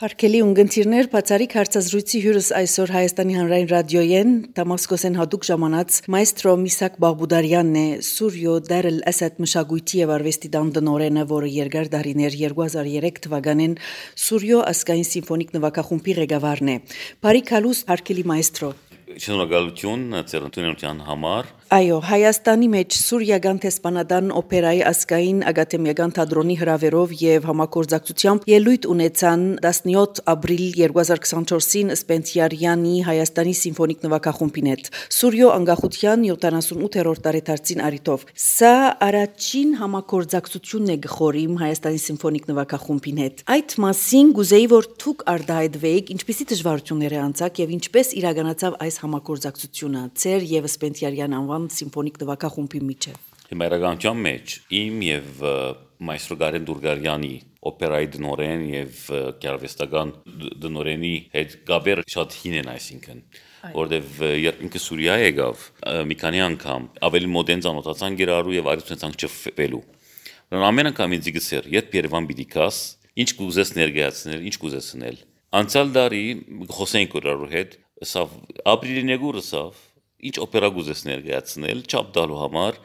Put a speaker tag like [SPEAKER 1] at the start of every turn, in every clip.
[SPEAKER 1] Հարկելի ունգընթիրներ բացարիք հարցազրույցի հյուրս այսօր Հայաստանի հանրային ռադիոյեն Դամասկոսեն հատուկ ժամանած մայստրո Միսակ Բաղբուդարյանն է Սուրյո Դարել Ասադ մշակույթի եւ արվեստի դանդնորենը, որը երկար դարիներ 2003 թվականին Սուրյո ասկային սիմֆոնիկ նվագախումբի ղեկավարն է։ Բարի քալուս հարկելի մայստրո։
[SPEAKER 2] Շնորհակալություն ծերունության համար։
[SPEAKER 1] Այո, Հայաստանի մեջ Սուրիական տեսփանադան օպերայի ասկային ակադեմիական թատրոնի հրավերով եւ համագործակցությամբ ելույթ ունեցան 17 ապրիլ 2024-ին Սպենտիարյանի Հայաստանի սիմֆոնիկ նվագախումբին հետ Սուրյո անկախության 78-րդ տարեդարձին առիթով։ Սա առաջին համագործակցությունն է գխորիմ Հայաստանի սիմֆոնիկ նվագախումբին հետ։ Այդ մասին գուզեի որ դուք արդահայտվեիք ինչպիսի դժվարություններ է անցակ եւ ինչպես իրականացավ այս համագործակցությունը ծեր եւ Սպենտիարյան անվան սիմֆոնիկ նվագախումբի միջև։
[SPEAKER 2] Հիմա իրականության մեջ իմ եւ մայստրո Գարեն Դուրգարյանի օպերայի դնորեն եւ գարվեստական դնորենի հետ գաբերը շատ հին են, այսինքն որտեվ երբ ինքը Սուրիա եկավ մի քանի անգամ ավելի մոդեն ծանոթացան գերարու եւ արեցան չփվելու։ Ամեն անգամ ինձ գսեր, երբ Երևան պիտի գաս, ինչ կուզես ներկայացնել, ինչ կուզես անել։ Անցյալ տարի խոսենք գերարու հետ, սա ապրիլի նեգուրը սավ ինչ օպերա գուզես ներկայացնել, չափ տալու համար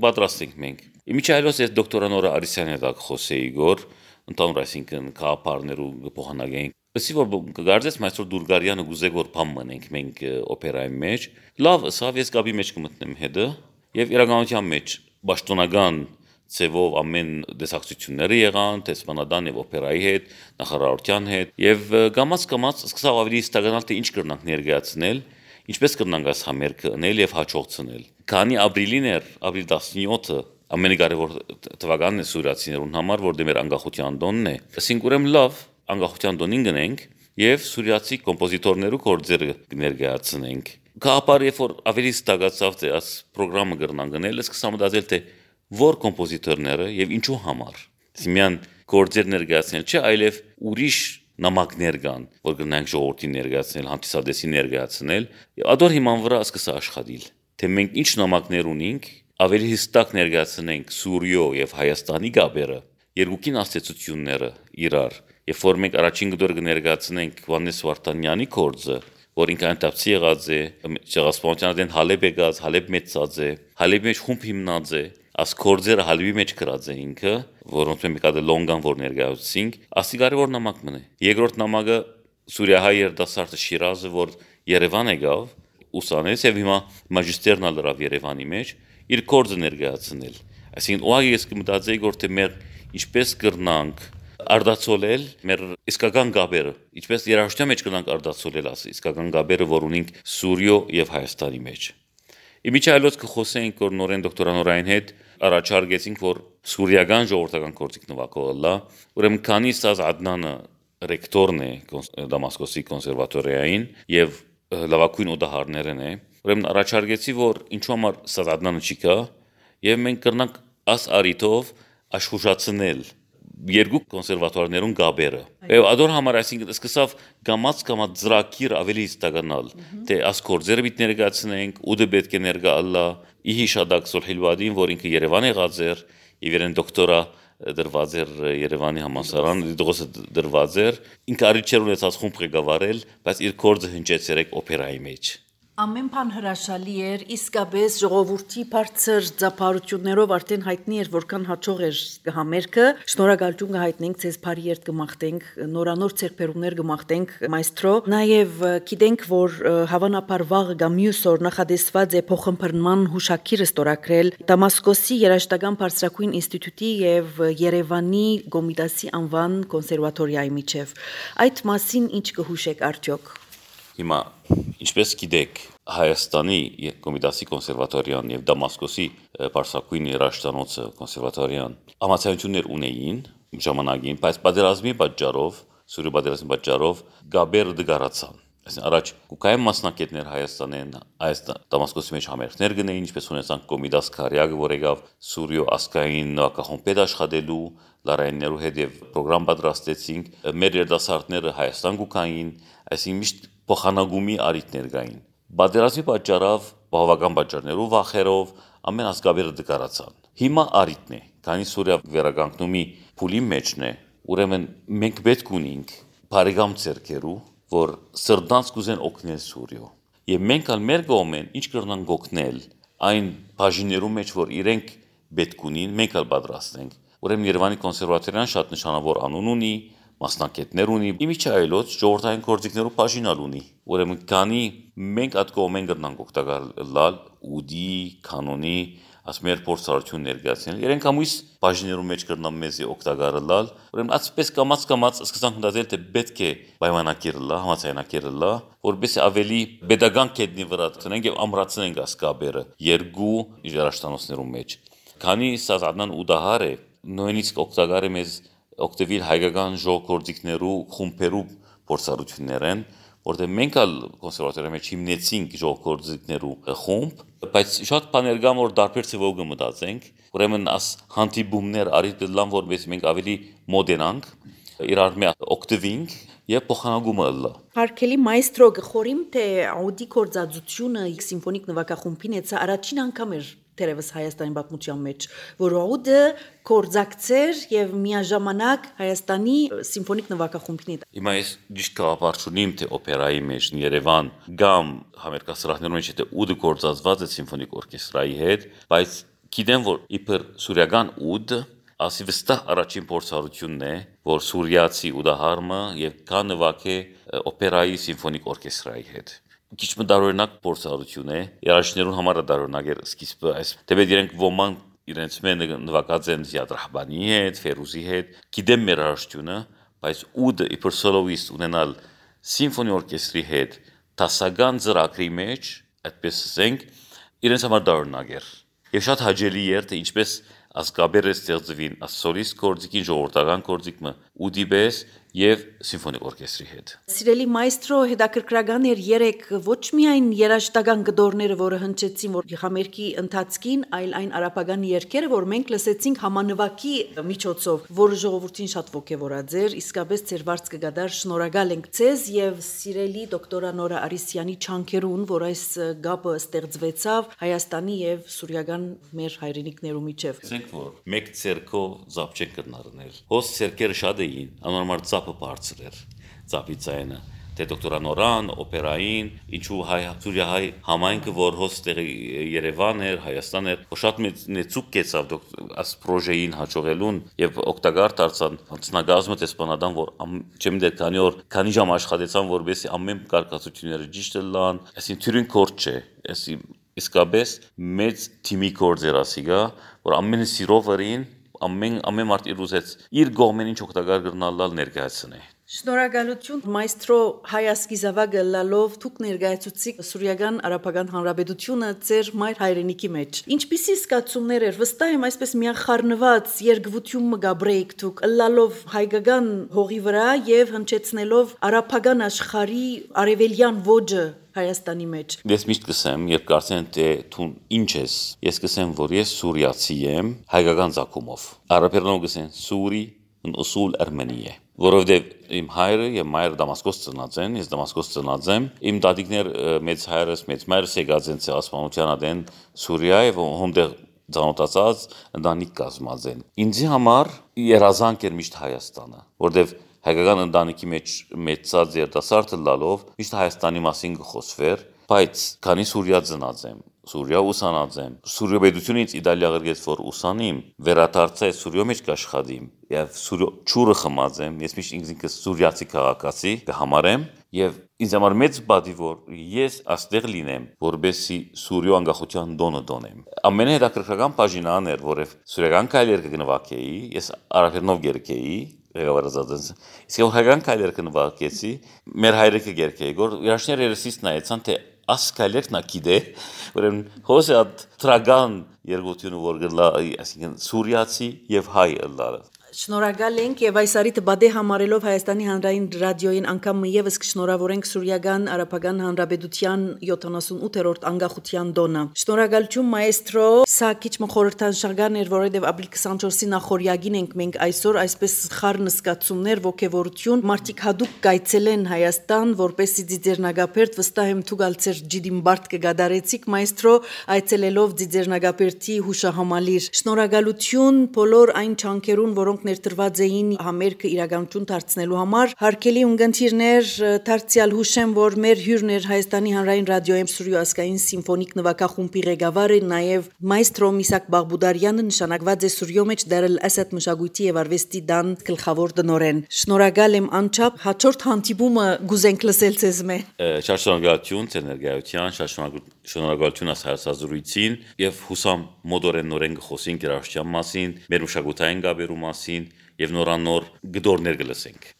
[SPEAKER 2] պատրաստ ենք մենք։ Իմիջայլոս ես դոկտորանորա Արիսյանի հետ խոսեի գոր, ընդհանուր այսինքն կապարներու փոխանակենք։ Ասի որ գարձես մայստրո Դուրգարյանը գուզե որ բամ մնենք մենք օպերայի մեջ։ Լավ, սավ ես գաբի մեջ կմտնեմ հետը եւ իրականության մեջ պաշտոնական ծևով ամեն դեսակցությունները եղան տեսփանադան եւ օպերայի հետ, նախարարության հետ եւ գամած սկսավ ավելի ստականալ թե ինչ կրնանք ներկայացնել, ինչպես կրնանք այս համերգը անել եւ հաջողցնել։ Քանի ապրիլին էր, ապրիլ 17-ը ամենակարևոր թվականն է սուրիացիներուն համար, որտեղ մեր անկախության տոնն է։ Ասենք ուրեմն լավ, անկախության տոնին գնենք եւ սուրիացի կոմպոզիտորներու գործերը ներկայացնենք։ Կապար երբ որ ավելի ստացավ թե այս ծրագրամը կրնան գնել, սկսամ մտածել թե որ կոմպոզիտորները եւ ինչու համար։ Սիմյան գործեր ներկայացնել չէ, այլև ուրիշ նամակներ կան, որ գնանք ժողովրդին ներկայացնել, հանդիսադեսին ներկայացնել, եւ ադոր հիման վրա սկսա աշխատել։ Թե մենք ինչ նամակներ ունենք, ավելի հստակ ներկայացնենք Սուրիո եւ Հայաստանի գաբերը, երկուքին աստեցությունները իրար, եւ որ մենք առաջին գդոր կներկայացնենք Հովհաննես Վարդանյանի գործը, որ ինքը անտապցի եղած է, Չեղասպանության Հալեբ եկած, Հալեբ մեծած է, Հալեբի մեջ խումբ հիմնած է, աս կորձերը Հալեբի մեջ գրած է ինքը, որոնց մենք կա լոնգան որ ներկայացինք, ասի կարևոր նամակ մնա։ Երկրորդ նամակը Սուրիահայ երդասարտը Շիրազը, որ Երևան եկավ, ուսանեց եւ հիմա մագիստերն ալրավ Երևանի մեջ, իր կորձը ներկայացնել։ Այսինքն ուղղակի ես կմտածեի որ թե մեր ինչպես կրնանք արդացոլել մեր իսկական գաբերը, ինչպես երաժշտության մեջ կրնանք արդացոլել ասի, իսկական գաբերը, որ ունենք Սուրիո եւ Հայաստանի մեջ։ Իմիջայլոց կխոսենք որ նորեն դոկտորանորային հետ առաջարկեցինք որ սուրիական ժողովրդական գործիք նվագողը, ուրեմն քանի ստազ Ադնանը ռեկտորն է Դամասկոսի կոնսերվատորիային եւ լավագույն օդահարներն է, ուրեմն առաջարկեցի որ ինչու համար ստազ Ադնանը չի կա եւ մենք կրնանք աս արիթով աշխուժացնել երկու կոնսերվատորներուն գաբերը։ Եվ ադոր համար այսինքն սկսավ գամած ծրագիր ավելի ստականալ, թե աս կորձերը պիտի ներկայացնենք, ու դե պետք է ներկայալա իհի շադակ Սոլհիլվադին, որ ինքը Երևան եղած էր, եւ իրեն դոկտորա դրված էր Երևանի համալսարան, դրոսը դրված էր, ինքը արիչեր ունեցած խումբ ղեկավարել, բայց իր կորձը հնչեց երեք օպերայի մեջ։
[SPEAKER 1] Ամեն բան հրաշալի էր, իսկապես ժողովրդի բարձր ծափարություններով արդեն հայտնի էր, որքան հաջող էր համերգը։ Շնորհակալություն կհայտնենք ձեզ բարի երթ կմաղթենք, նորանոր ձեռքբերումներ կմաղթենք մայստրո։ Նաև գիտենք, որ հավանաբար վաղը կամ մյուս օր նախադեсված է փոխըմբռնման հուշագիրը ստորագրել Դամասկոսի երաժշտական բարձրագույն ինստիտուտի եւ Երևանի Գոմիդասի անվան կոնսերվատորիայի միջև։ Այդ մասին ինչ կհուշեք արդյոք։
[SPEAKER 2] Հիմա ինչպես գիտեք Հայաստանի Կոմիտասի կոնսերվատորիան եւ Դամասկոսի Պարսակույն երաժշտանոցը կոնսերվատորիան համացանություններ ունեին ժամանակին, բայց պատերազմի պատճառով, Սուրիա պատերազմի պատճառով գաբերը դգարացան։ Այսինքն առաջ կուկայում մասնակիցներ Հայաստանեն, այս Դամասկոսի մեջ համերգներ գնային, ինչպես ունեցանք Կոմիդաս Քարյագը, որ եկավ Սուրիո ասկային նվագախումբեր աշխատելու, լարայիններու հետ եւ ծրագրամ պատրաստեցինք, մեր երդասարտները Հայաստան կուկային, այսինքն միշտ փոխանակումի արիտներ կային։ Պատերազմի պատճառով, բավական պատճառներով, վախերով ամեն ասկաբերը դկարացան։ Հիմա արիտն է, քանի Սուրիա վերականգնումի փուլի մեջն է, ուրեմն մենք պետք ունենք բարեկամ ցերկերու, որ սրտանց կուզեն օգնել Սուրիո։ Եվ մենք ալ մեր կողմեն ինչ կրնանք օգնել այն բաժիններու մեջ, որ իրենք պետք ունին, մենք ալ պատրաստ ենք։ Ուրեմն Երևանի կոնսերվատորիան շատ նշանավոր անուն ունի, մասնակիցներ ունի, իմիջի այլոց ժողովրդային գործիքներու բաժինալ ունի։ Ուրեմն քանի մենք այդ կողմեն կրնանք օգտակարել ուդի, կանոնի, ասմեր փորձառություն ներկայացնել։ Իրենք ամույս բաժիններու մեջ կրնան մեզի օգտակարել, ուրեմն այսպես կամած սկսանք մտածել թե պետք է պայմանագիրել, համաձայնագիրել, որովհետեւ ավելի pedagogan կետնի վրա տնենք եւ ամրացնենք ասկաբերը երկու երաշտանոցներու մեջ։ Քանի սազանան ուդահար է, նույնիսկ օգտակարը մեզ օգտվել հայկական ժողովրդիկներու խումբերու փորձառություններեն, որտեղ մենք ալ կոնսերվատորիայի մեջ հիմնեցինք ժողովրդիկներու խումբ, բայց շատ բաներ կան, որ դարբեր ծավալ կմտածենք, ուրեմն աս հանդիպումներ արիդլան, որպես մենք ավելի մոդենանք, իրար մեջ օգտվենք եւ փոխանակումը ըլլա։
[SPEAKER 1] Հարկելի մայստրո գխորիմ թե աուդի կորձածությունը սիմֆոնիկ նվագախումբին էցա առաջին անգամ էր Terevs Հայաստանի պատմության մեջ, որ աուդը կորձակցեր եւ միաժամանակ Հայաստանի սիմֆոնիկ նվագախումբին է։
[SPEAKER 2] Հիմա ես ճիշտ կապարչունիմ թե օպերայի մեջ Երևան կամ համերկասրահներում մեջ թե ուդը կորձածված է սիմֆոնիկ օրկեստրայի հետ, բայց գիտեմ որ իբր սուրիական ուդ ասի վստահ առաջին փորձառությունն է, որ սուրիացի ուդահարմը եւ կա նվագե օպերայի սիմֆոնիկ օրկեստրայի հետ։ Քիչ մտարօրինակ փորձառություն է, երաժիշտներուն համար դարօրինակ է սկիզբը այս դեպի իրենք ոմանք իրենց մեն նվագած են Զիադ հետ, Ֆերուզի հետ, գիտեմ մեր երաժշտությունը, բայց ուդը իբր սոլոիստ ունենալ սիմֆոնի օրկեստրի հետ տասական ծրագրի մեջ, այդպես ասենք, իրենց համար դարօրինակ է։ Եվ շատ հաճելի է թե ինչպես ասկաբերը ստեղծվին ասորիստ կորձիկին ժողովրդական կորձիկը ուդիբես եւ սիմֆոնիկ օրկեստրի հետ։
[SPEAKER 1] Սիրելի մայստրո հետաքրքրական էր երեք ոչ միայն երաժշտական գդորները, որը հնչեցին որ համերգի ընթացքին, այլ այն արաբական երգերը, որ մենք լսեցինք համանվագի միջոցով, որը ժողովրդին շատ ոգևորած էր, իսկապես ձեր վարձ կգադար շնորհակալ ենք ձեզ եւ սիրելի դոկտոր Նորա Արիսյանի չանքերուն, որ այս գաբը ստեղծվեցավ Հայաստանի եւ սուրիական մեր հայրենիքներու միջև։
[SPEAKER 2] Ասենք որ մեկ ցերկո զապչեն կնարնել։ Հոս ցերկերը շատ էին, անորմալ ծապը բարձր էր, ծապի ցայնը։ Թե դոկտոր Նորան, օպերային, ինչու Սուրիա-հայ համայնքը, որ հոստեղ Երևան էր, Հայաստան էր, շատ մեծուկ կեցավ աս պրոժեին հաջողելուն եւ օգտակար դարձան հանձնագազմը տեսփանադան, որ չեմ դե քանի ժամ աշխատեցան, որովհետեւ ամեն կարգացությունները ճիշտ լան, այսին թյուրին կորջ չէ, այսի իսկապես մեծ թիմի կորձերասիգա, որ ամենը սիրով երին ամեն մարդ իր ուզեց իր կողմեն ինչ օգտակար գրնալալ ներկայացնե։
[SPEAKER 1] Շնորհակալություն մայստրո Հայասկի զավակը լալով դուք ներկայացուցիք Սուրիական Արաբական Հանրապետությունը ձեր մայր հայրենիքի մեջ։ Ինչպիսի զգացումներ էր, վստահ եմ այսպես միախառնված երկվություն մգաբրեիք դուք լալով հայկական հողի վրա եւ հնչեցնելով արաբական աշխարհի արևելյան ոճը Հայաստանի մեջ։
[SPEAKER 2] Ես միշտ կսեմ, երբ կարծեն թե դու ինչ ես, ես կսեմ, որ ես սուրիացի եմ հայկական ցակումով։ Արաբերենով կսեն սուրի ուսուլ Արմենիա, որովհետև իմ հայրը եւ մայրը Դամասկոս ծնած են, ես Դամասկոս ծնած եմ, իմ դադիկներ մեծ հայրս, մեծ մայրս եկած են ցեղասպանության ադեն Սուրիա եւ հոնդեղ ծանոթացած ընտանիք կազմած են։ Ինձ համար երազանք էր միշտ Հայաստանը, որովհետև հայկական ընտանիքի մեջ մեծած երիտասարդը լալով միշտ Հայաստանի մասին կխոսվեր, բայց քանի Սուրիա ծնած եմ, Սուրիա ուսանած եմ, Սուրիա պետությունից Իտալիա գրգեց որ ուսանիմ, վերադարձա Սուրիա մեջ կաշխատիմ, եւ Սուրիա ճուրը խմած եմ, ես միշտ ինքս սուրիացի քաղաքացի կհամարեմ, եւ ինձ համար մեծ բադի որ ես աստեղ լինեմ, որբեսի Սուրիա անկախության դոնը դոնեմ։ Ամենահետաքրքրական բաժինան էր, որև սուրիական քայլեր կգնվակեի, ես արաբերենով գերկեի, ղեկավարած իսկ հայկական քայլեր կնվակեցի, մեր հայրիկը գերկեի, որ երաշներ երեսից նայեցան թե ասկալերն ակիդե, ուրեմն հոսը տրագան երգությունը որ գլա, այսինքն սուրիացի եւ հայ ըլլալը։
[SPEAKER 1] Շնորհակալ ենք եւ այս արիթը բադե համարելով Հայաստանի հանրային ռադիոյին անգամ եւս կշնորհավորենք Սուրիական Արաբական Հանրապետության 78-րդ անկախության դոնը։ Շնորհակալություն մայստրո, սա քիչ մխորհրդանշական էր, որովհետեւ ապրիլ 24-ի նախորյակին ենք մենք այսօր այսպես խառն զգացումներ, ոգևորություն, մարդիկ հadoop կայցելեն Հայաստան, որպեսզի Ձիձեռնագապերտ վստահ եմ դուք ալցեր ջիդին բարդ կգադարեցիք մայստրո, այցելելով Ձիձեռնագապերտի հուշահամալիր։ Շնորհակալություն բոլոր այն չանքերուն, որոնք ներդրված էին համերգը իրականություն դարձնելու համար։ Հարգելի ունգընտիրներ, դարձյալ հուշեմ, որ մեր հյուրն էր Հայաստանի հանրային ռադիոյի Սուրյու ազգային սիմֆոնիկ նվագախումբի ղեկավարը, նաև մայստրո Միսակ Բաղբուդարյանը նշանակված է Սուրյո մեջ Դարել Ասադ մշակույթի եւ արվեստի դան գլխավոր դնորեն։ Շնորհակալ եմ անչափ, հաջորդ հանդիպումը գուզենք լսել ձեզ մե։
[SPEAKER 2] Շատ շնորհակալություն ցերներգայության, շատ շնորհակալություն հասարակազրույցին եւ հուսամ մոդորեն նորեն կխոսենք երաժշտության մասին, մեր մշակութային գաբերու մասին եւ նորանոր գդորներ կլսենք։